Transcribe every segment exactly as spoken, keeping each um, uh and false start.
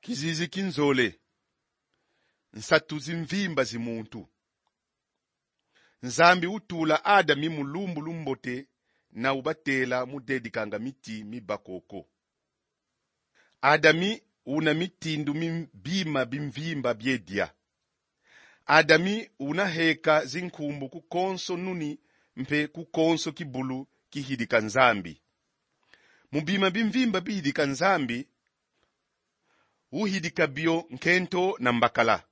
Kizizi ki nzole. Nsatu zi mvimba zi muntu. Nzambi utula Adami mu lumbu lumbote, na ubatela mu dedikanga miti mi bakoko. Adami una mitindu mi bima bi mvimba bie dia. Adami una heka zinkumbu ku konso nuni mpe ku konso kibulu kihidika Nzambi. Mu bima bi mvimba bihidika Nzambi, uhidika bio nkento na mbakala.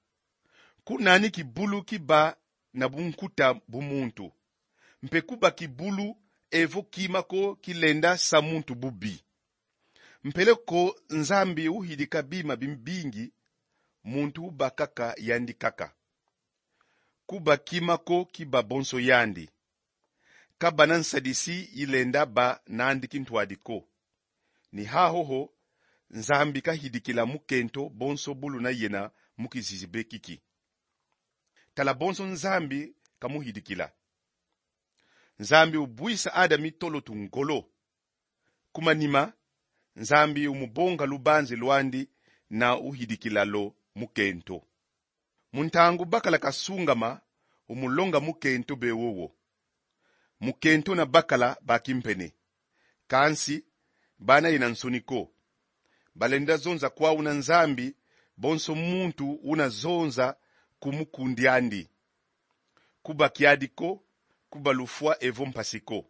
Ku nani kibulu kiba na bunkuta bu muntu, mpe kuba kibulu evo kima ko kilenda sa muntu bubi. Mpeleko Nzambi uhidika bima bibingi, muntu uba kaka yandi kaka. Kuba kima ko kiba bonso yandi. Kabana nsadisi ilenda ba nandi kintwadi ko. Ni hahoho, Nzambi kahidikila mukento bonso bu luna yena mu kizizi be kiki. Tala bonso Nzambi kamuhidikila. Nzambi ubwisa Adami tolo tu ngolo. Ku manima, Nzambi umubonga lubanzi lwandi na uhidikila lo mukento. Mu ntangu bakala kasungama, umulonga mukento be wowo. Mukento na bakala ba kimpene. Kansi, bana yena nsoni ko. Balenda zonza kwau na Nzambi, bonso muntu una zonza ku mukundi andi. Kuba kiadi ko, kuba lufwa evo mpasi ko.